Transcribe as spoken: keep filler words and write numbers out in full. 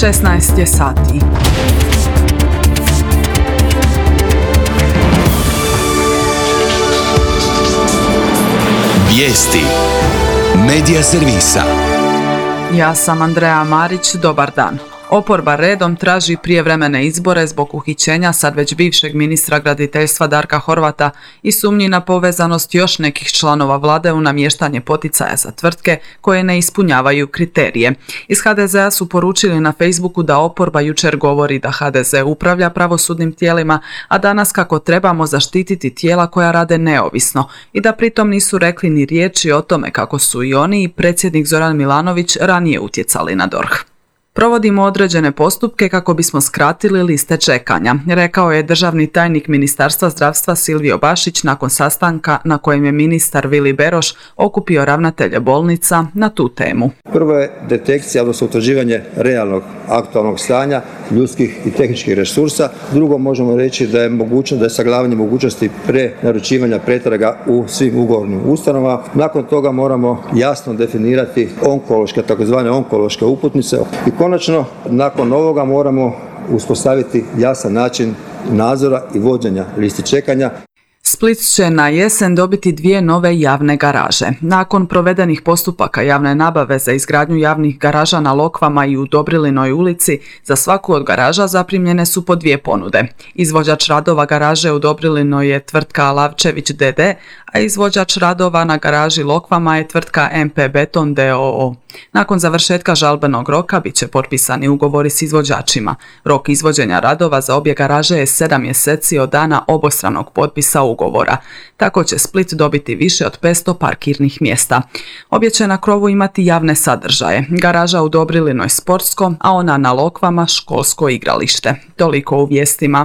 šesnaest je sati. Vijesti Medija servisa. Ja sam Andreja Marić, dobar dan. Oporba redom traži prijevremene izbore zbog uhićenja sad već bivšeg ministra graditeljstva Darka Horvata i sumnji na povezanost još nekih članova vlade u namještanje poticaja za tvrtke koje ne ispunjavaju kriterije. Iz ha de zea su poručili na Facebooku da oporba jučer govori da ha de ze upravlja pravosudnim tijelima, a danas kako trebamo zaštititi tijela koja rade neovisno i da pritom nisu rekli ni riječi o tome kako su i oni i predsjednik Zoran Milanović ranije utjecali na DORH. Provodimo određene postupke kako bismo skratili liste čekanja, rekao je državni tajnik Ministarstva zdravstva Silvio Bašić nakon sastanka na kojem je ministar Vili Beroš okupio ravnatelje bolnica na tu temu. Prvo je detekcija, odnosno utvrđivanje realnog aktualnog stanja ljudskih i tehničkih resursa. Drugo, možemo reći da je mogućno da je sagledavanje mogućnosti prenaručivanja pretraga u svim ugovornim ustanovama. Nakon toga moramo jasno definirati onkološke, takozvane onkološke uputnice. I konačno, nakon ovoga moramo uspostaviti jasan način nadzora i vođenja listi čekanja. Split će na jesen dobiti dvije nove javne garaže. Nakon provedenih postupaka javne nabave za izgradnju javnih garaža na Lokvama i u Dobrilinoj ulici, za svaku od garaža zaprimljene su po dvije ponude. Izvođač radova garaže u Dobrilinoj je tvrtka Lavčević de de, a izvođač radova na garaži Lokvama je tvrtka em pe Beton de o o. Nakon završetka žalbenog roka bit će potpisani ugovori s izvođačima. Rok izvođenja radova za obje garaže je sedam mjeseci od dana obostranog potpisa ugovora. Tako će Split dobiti više od petsto parkirnih mjesta. Obje će na krovu imati javne sadržaje. Garaža u Dobrilinoj sportsko, a ona na Lokvama školsko igralište. Toliko u vijestima.